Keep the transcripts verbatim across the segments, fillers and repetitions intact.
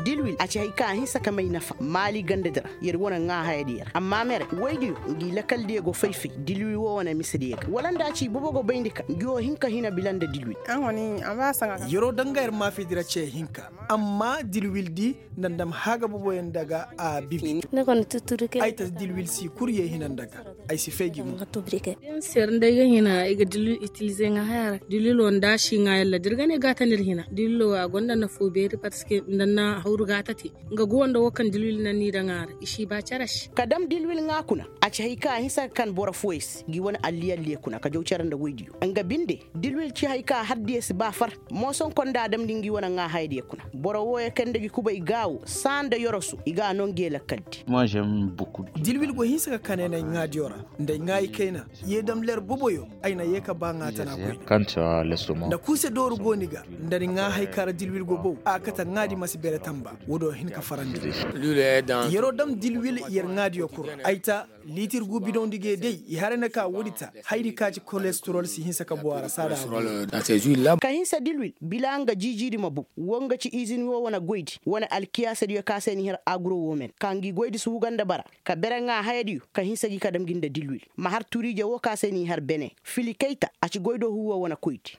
Dilwil a ci hay ka a hinsa ka may nafa maali gandadi ra. Yer wane ŋaa hayadiyo ra amma mere woydiyo ngi lakaldiyo go fay-fay dilwil woo wane misediyo ga wala nda a ci ibobo go bayndi ka ngi woo hin ka hina bila nda dilwil. Yeroo daŋ ga yer maafidi ra ce hinka amma dilwildi nda ndam haaga boboyaŋ daga a bibi. Ay ta dilwil si kul ye hina nda ga ay si fay gi mo. Yer nda ay ga hina ay ga dilwil itilize ŋaa haya ra dilwil woo nda a si ŋaa yalla da ir ga ne gaatandi ir hina dilwil woo a gonda nafoo beeri parceque nda na hawru gaata te. Nga guwa nda woo kaŋ dilwil na ni daŋ a ra i si ba cere se. Ka dam dilwil ŋaa kuna a ci hay kaŋ a hinsa ka kan boro fooyey se ngi wane alliyalliye kuna ka jaw cere nda woydiyo nga binde. Dilwil ci hay kaŋ a hardiyo si ba far. Moosonko nda a damndi ngi wane ŋaa hayadiyo kuna boro wooyo kaŋ nda gi kubay gaawo saa nda yorosu i ga a noo ngi ye lakkaldi. Dilwil go hinsa ka kaneenay ŋaadiyo ra nda ay ŋaayi kayna. Ye dam ler boboyo ay na ye ka ba ŋaa tana koyne. Nda kurse dooru go ni ga nda ni ŋaa hay kaŋ ra dilwil go bow a kate ŋaadi ma si bere tamba. Woodiyo hin ka farandi. Yeroo dam dilwil yer ŋaadiyo kul ra ay ta liitir gu bidoŋ di ga ye day i haray na ka woodi ta. Hayadi ka ci kolesterol si hinsa ka bow a ra saada a bow. Ka hinsa dilwil bila nga jiijiidi ma bow woo nga ci izin woo wane goydi wane alkiyaasadiyo ka se ni har aguro woo men ka ngi goydi si huga nda bara. Ka bere ŋaa hayadiyo ka hinsa gi ka dam gi nda dilwil ma har turiije woo ka se ni har bene fili kayta a ci goydoo huuwa wane koydi.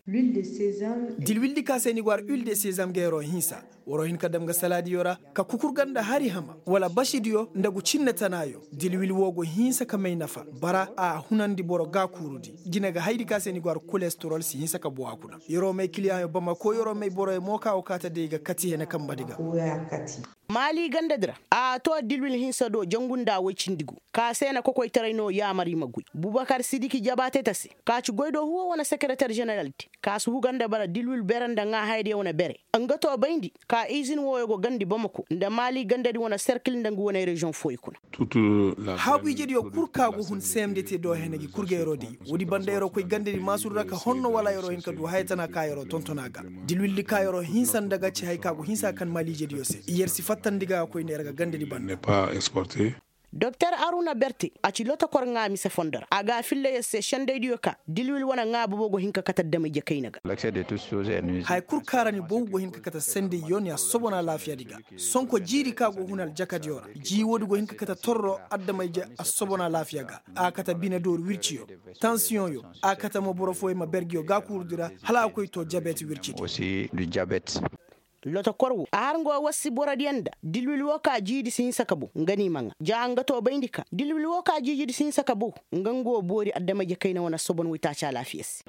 Dilwildi ka se ni go har uil de sezam ga yeroo hinsa. Waroo hin ka dam ga salaadiyo ra ka kukur ga nda hari hama wala basidiyo nda gu cinne tanaayo. Dilwil woo go hinsa ka may nafa bara a hunandi boro gaakuurudi. Jine ga hayadi ka se ni go har kolesterol si hinsa ka bow a kuna. Yeroo may kiliyaŋyo bamako yeroo may boroyo mo ka go kaa ta day ga kati hene kambadi ga. Maali gandadi ra a too dilwil hinsa do jangu nda woy cindi gu. Ka se na kokoytaray no yaamar i ma goy bubakar sidiki jabaate ta se. Ka ci goydoo huuwa wane sekereter ženeraldi ka si huga nda bara dilwil bere nda ŋaa hayadiyo wane bere. Nga too bayndi ka izin wooyo go gandi bamako nda maali gandadi wane serkil nda ngu wane reziyoŋ fooyo kuna. Haagu ijediyo kul ka go hun seemde te do hene gi kul ga yeroo day. Woodi banda yeroo koy gandadi maasuru ra ka honno wala yeroo hin ka du haya tana ka yeroo tonton a ga. Dilwildi ka yeroo hinsa nda ga ci hay ka go hinsa ka kan maali ijediyo se yer si fattandi ga ga koyne yer ga gandadi banda. Doktor aruna berte a ci lotokor ŋaa mise fondo ra a ga a filla yer se sendaydiyo ka dilwil wane ŋaa bobo go hin ka kate adama-ije kayna ga. Haya kul kaŋ ra ni bow go hin ka kate sendayyo ni assobon alaafiyadi ga. Sonko jiiri kaŋ a go hun aljakadiyo ra jii woodi go hin ka kate torro adama-ije assobon alaafiya ga. A kate bine dooru wirciyo, tansiyoŋyo, a kate mo boro fooyaŋ ma ber ngiyo gaakuurudi ra hala a koy too jabet wircidi. Lotokor woo a har nga woo wassi borodiyo nda dilwil woo ka jiidi si hinsa ka bow nga no i ma ŋaa ja nga too bayndi ka dilwil woo ka jiijidi si hinsa ka bow. Nga nga woo boori adama-ije kayna wane assobon woytaaci alaafiya se.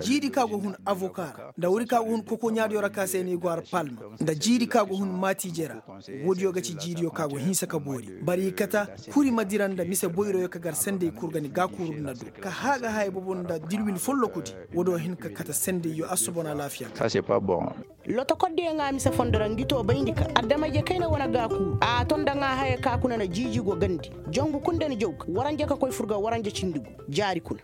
Jiidi ka go hun avoka ra nda woodi ka go hun kokoɲaadiyo ra ka se no i go har palma nda jiidi ka go hun maatiije ra. Woodiyo ga ci jiidiyo ka go hinsa ka boori bari i kata. Kuri ma dira nda mise boyroyo ka gar sendey kul ga ni gaakuuru nda do ka haaga haya bobo nda dilwil follokudi. Woodiyo hin ka kate sendeyyo assobon alaafiya ga. Lotokordiyo ŋaa mise fondo ra ngi too bayndi ka adama-ije kayna wane gaakuuru a ton nda ŋaa haya ka kuna na jiiji go gandi. Jangu kul nda ni jaw ga waranja ka koy fur ga waranja cindi gu. Jaari kuna.